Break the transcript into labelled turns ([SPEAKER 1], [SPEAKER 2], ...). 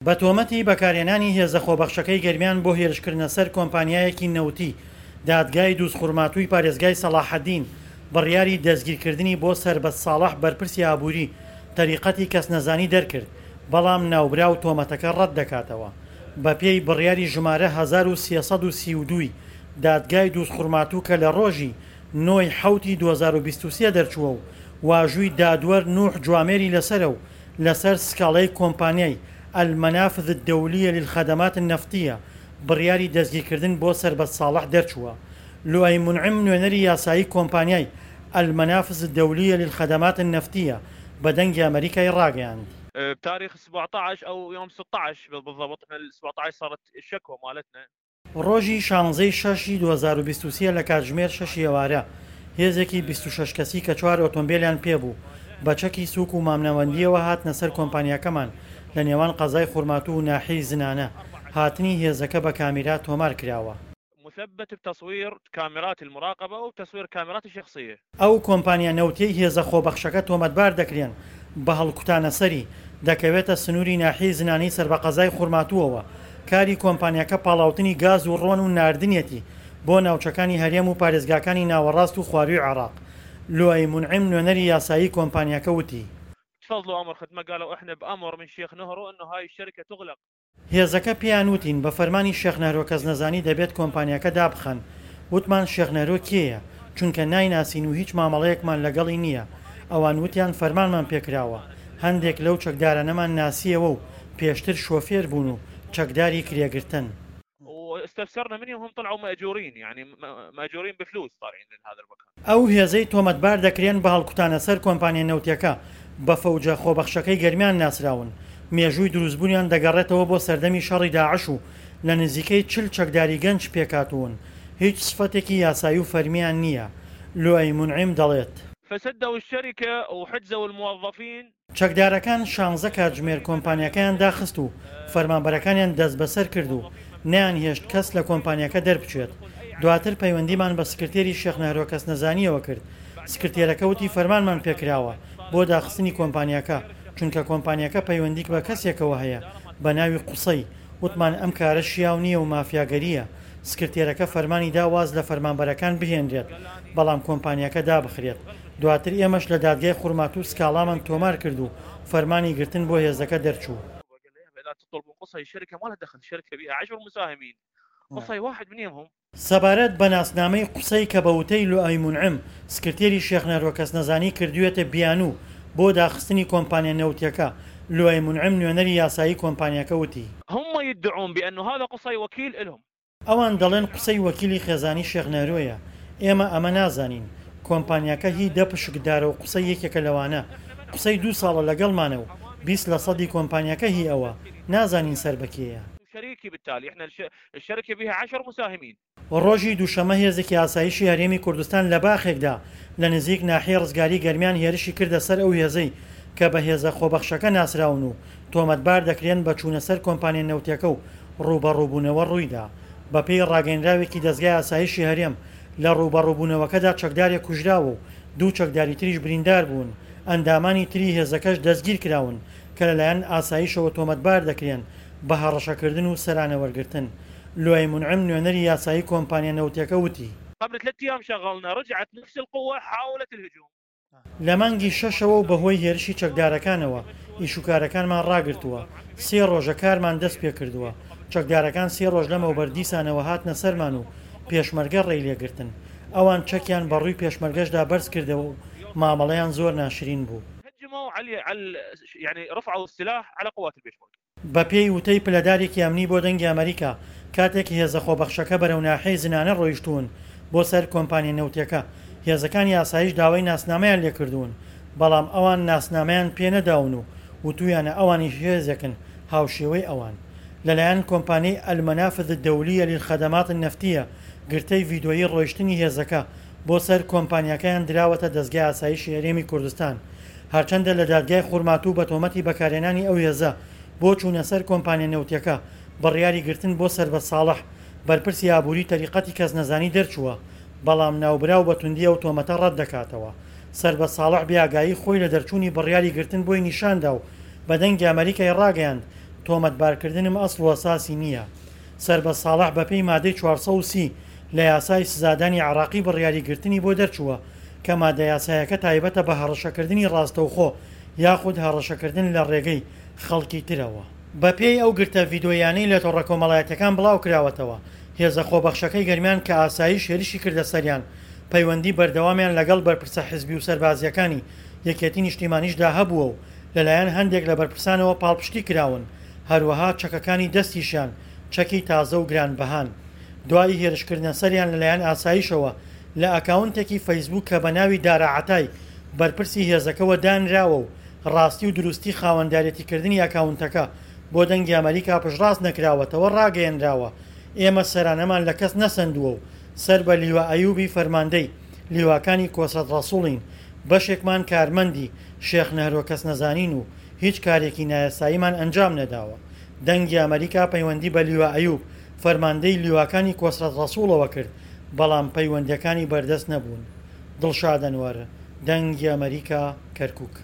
[SPEAKER 1] بە تۆمەتی بەکارهێنانی هێزە خۆبەخشەکەی گەرمیان بۆ هێرشکردنە سەر کۆمپانیایەکی نەوتی، دادگای دووزخورماتووی پارێزگای سەڵاحەدین بڕیاری دەستگیرکردنی بۆ سەربەست ساڵح بەرپرسی ئابووری تەریقەتی کەسنەزانی دەرکرد، بەڵام ناوبراو تۆمەتەکە ڕەتدەکاتەوە. بەپێی بڕیاری ژمارە 1332 ی دادگای دووزخورماتوو کە لە ڕۆژی نۆ ی حەوتی 2023 دەرچووە و واژووی دادوەر نوح جوامێری لەسەرە و لەسەر سکاڵای کۆمپانیای، المنافذ الدولیە للخدمات النفطیە، بڕیاری دەستگیرکردن بۆ سەربەست ساڵح دەرچووە. لوئەی مونعم نوێنەری یاسایی کۆمپانیای، المنافذ الدولیە للخدمات النفطیە، بە دەنگی ئەمەریکای ڕاگەیاند.
[SPEAKER 2] بتاريخ 17 او يوم 16 بالضبط احنا ال 17 صارت الشكوى مالتنا.
[SPEAKER 1] ڕۆژی شانزەی شەش ی 2023 لە کاتژمێر شەشی ئێوارە، هێزێکی 26 کەسی کە چوار ئۆتۆمبێلیان پێبوو، بە چەکی سووک و مامناوەندییەوە هاتنە سەر کۆمپانیاکەمان لە نێوان قەزای خورماتوو و ناحیەی زنانە، هاتنی هێزەکە بە کامیرا تۆمار کراوە.
[SPEAKER 2] مثبت بتصوير كاميرات المراقبة وبتصوير كاميرات الشخصية.
[SPEAKER 1] ئەو کۆمپانیا نەوتیەی هێزە خۆبەخشەکە تۆمەتبار دەکرێن بە هەڵکوتانەسەری، دەکەوێتە سنووری ناحیەی زنانەی سەربە قەزای خورماتووەوە، کاری کۆمپانیاکە پاڵاوتنی گاز و ڕۆن و ناردنیەتی بۆ ناوچەکانی هەرێم و پارێزگاکانی ناوەڕاست و خوارووی عێراق. لوئەی مونعیم نوێنەری یاسایی کۆمپانیاکە وتی.
[SPEAKER 2] تفضلوا امر خدمة قالوا احنا بأمر من شيخ نهرو انه هاي الشركة تغلق.
[SPEAKER 1] هێزەکە پێیان وتین بە فەرمانی شێخ نەهرۆ کەسنەزانی دەبێت کۆمپانیاکە دابخەن، وتمان شێخ نەهرۆ کێیە، چونکە نایناسین و هیچ مامەڵەیەکمان لەگەڵی نییە، ئەوان وتیان فەرمانمان پێکراوە، هەندێک لەو چەکدارانەمان ناسییەوە و پێشتر شۆفێر بوون و چەکداری کرێگرتن.
[SPEAKER 2] واستفسرنا منهم هم طلعوا مأجورين يعني مأجورين بفلوس طالعين من هذا المكان.
[SPEAKER 1] ئەو هێزەی تۆمەتبار دەکرێن بە هەڵکوتانە سەر کۆمپانیا نەوتیەکە بە فەوجە خۆبەخشەکەی گەرمیان ناسراون، مێژووی دروستبوونیان دەگەڕێتەوە بۆ سەردەمی شەڕی داعش و لە نزیکەی 40 چەکداری گەنج پێکهاتوون، هیچ سفەتێکی یاسایی و فەرمییان نییە. لوئەی مونعیم دەڵێت.
[SPEAKER 2] فسدوا الشركة وحجزوا الموظفين.
[SPEAKER 1] چەکدارەکان شانزە کاتژمێر کۆمپانیاکەیان داخست و فەرمانبەرەکانیان دەستبەسەر کرد و نەیانهێشت کەس لە کۆمپانیاکە دەربچێت. دواتر پەیوەندیمان بە سکرتێری شێخ نەهرۆ کەسنەزانییەوە کرد، سکرتێرەکە وتی فەرمانمان پێکراوە بۆ داخستنی کۆمپانیاکە، چونکە کۆمپانیاکە پەیوەندیک بە کەسێکەوە هەیە بە ناوی قوسەی، وتمان ئەم کارە شیاو نییە و مافیاگەرییە، سکرتێرەکە فەرمانی دا واز لە فەرمانبەرەکان بهێنرێت، بەڵام کۆمپانیاکە دابخرێت. دواتر ئێمەش لە دادگای خورماتوو سکاڵامان تۆمار کرد و فەرمانی گرتن بۆ هێزەکە دەرچوو. سەبارەت بە ناسنامەی قوسەی کە بە وتەی لوئەی مونعم سکرتێری شێخ نەهرۆ کەسنەزانی کردوویەتە بیانوو بۆ داخستنی کۆمپانیا نەوتیەکە، لوئەی مونعم نوێنەری یاسایی کۆمپانیاکە وتی.
[SPEAKER 2] هم يدعون بأنه هذا قصي وكيل لهم.
[SPEAKER 1] ئەوان دەڵێن قوسەی وەکیلی خێزانی شێخ نەهرۆیە، ئێمە ئەمە نازانین، کۆمپانیاکە هی دە پشکدارە و قوسەی یەکێکە لەوانە، قوسەی دوو ساڵە لەگەڵمانە و 20 لە سەدی کۆمپانیاکە هی ئەوە، نازانین سەر بە کێیە. ڕۆژی دووشەممە هێزێکی ئاسایشی هەرێمی کوردستان لە باخێکدا لە نزیک ناحیەی ڕزگاری گەرمیان هێرشی کردە سەر ئەو هێزەی کە بە هێزە خۆبەخشەکە ناسراون و تۆمەتبار دەکرێن بە چوونە سەر کۆمپانیا نەوتیەکە و ڕووبەڕووبوونەوە ڕوویدا. بەپێی ڕاگەیەنراوێکی دەزگای ئاسایشی هەرێم، لە ڕووبەڕووبوونەوەکەدا چەکدارێک کوژراوە و دوو چەکداری تریش بریندار بوون، ئەندامانی تری هێزەکەش دەستگیرکراون کە لەلایەن ئاسایشەوە تۆمەتبار دەکرێن بە هەڕەشەکردن و سەرانە وەرگرتن. لوئەی مونعم نوێنەری یاسایی کۆمپانیا نەوتیەکە وتی.
[SPEAKER 2] قبل ثلاث ايام شغلنا رجعت نفس القوة حاولت الهجوم.
[SPEAKER 1] لە مانگی شەشەوە و بەهۆی هێرشی چەکدارەکانەوە ئیشوکارەکانمان ڕاگرتووە، سێ ڕۆژە کارمان دەستپێکردووە، چەکدارەکان سێ ڕۆژ لەمەوبەر دیسانەوە هاتنە سەرمان و پێشمەرگە ڕێی لێگرتن، ئەوان چەکیان بە ڕووی پێشمەرگەشدا بەرزکردەوە و مامەڵەیان زۆر ناشرین بوو. بەپێی وتەی پلەدارێکی ئەمنی بۆ دەنگی ئەمەریکا، کاتێک هێزە خۆبەخشەکە بەرەو ناحیەی زنانە ڕۆیشتوون بۆ سەر کۆمپانیا نەوتیەکە، هێزەکانی ئاسایش داوای ناسنامەیان لێکردوون، بەڵام ئەوان ناسنامەیان پێنەداون و وتویانە ئەوانیش هێزێکن هاوشێوەی ئەوان. لەلایەن کۆمپانیای المنافذ الدولیە للخدمات النفتیە گرتەی ڤیدۆیی ڕۆیشتنی هێزەکە بۆ سەر کۆمپانیاکەیان دراوەتە دەزگای ئاسایشی هەرێمی کوردستان. هەرچەندە لە دادگای خورماتوو بە تۆمەتی بەکارهێنانی ئەو هێزە بۆ چوونە سەر کۆمپانیا نەوتیەکە بڕیاری گرتن بۆ سەربەست ساڵح بەرپرسی ئابووری تەریقەتی کەسنەزانی دەرچووە، بەڵام ناوبراو بە توندی ئەو تۆمەتە ڕەتدەکاتەوە. سەربەست ساڵح بێ ئاگایی خۆی لە دەرچوونی بڕیاری گرتن بۆی نیشاندا و بە دەنگی ئەمەریکای ڕاگەیاند، تۆمەتبارکردنم ئەسڵ و ئەساسی نییە. سەربەست ساڵح بەپێی مادەی 430 لە یاسای سزادانی عێراقی بڕیاری گرتنی بۆ دەرچووە کە مادە یاسایەکە تایبەتە بە هەڕەشەکردنی ڕاستەوخۆ یاخود هەڕەشەکردن لە ڕێگەی خەڵکی ترەوە. بەپێی ئەو گرتە ڤیدۆییانەی لە تۆڕە کۆمەڵایەتیەکان بڵاوکراوەتەوە، هێزە خۆبەخشەکەی گەرمیان کە ئاسایش هێرشی کردە سەریان، پەیوەندی بەردەوامیان لەگەڵ بەرپرسە حزبی و سەربازییەکانی یەکێتی نیشتیمانیشدا هەبووە و لەلایەن هەندێک لە بەرپرسانەوە پاڵپشتی کراون، هەروەها چەکەکانی دەستیشیان چەکی تازە و گرانبەهان. دوای هێرشکردنە سەریان لەلایەن ئاسایشەوە لە ئەکاونتێکی فەیسبوک کە بەناوی دارا عەتای بەرپرسی هێزەکەوە دانراوە و ڕاستی و دروستی خاوەندارێتیکردنی ئەکاونتەکە بۆ دەنگی ئەمەریکا پشتڕاست نەکراوەتەوە ڕاگەیەنراوە ئێمە سەرانەمان لە کەس نەسەندووە و سەر بە لیوا ئەیوبی فەرماندەی لیواکانی کۆسرەت ڕەسوڵین بەشێکمان کارمەندی شێخ نەهرۆ کەسنەزانین و هیچ کارێکی نایاساییمان ئەنجام نەداوە. دەنگی ئەمەریکا پەیوەندی بە لیوا ئەیوب، فەرماندەی لیواکانی کۆسرەت ڕەسوڵەوە کرد، بەڵام پەیوەندییەکانی بەردەست نەبوون. دڵشاد ئەنوەر، دەنگی ئەمەریکا، کەرکوک.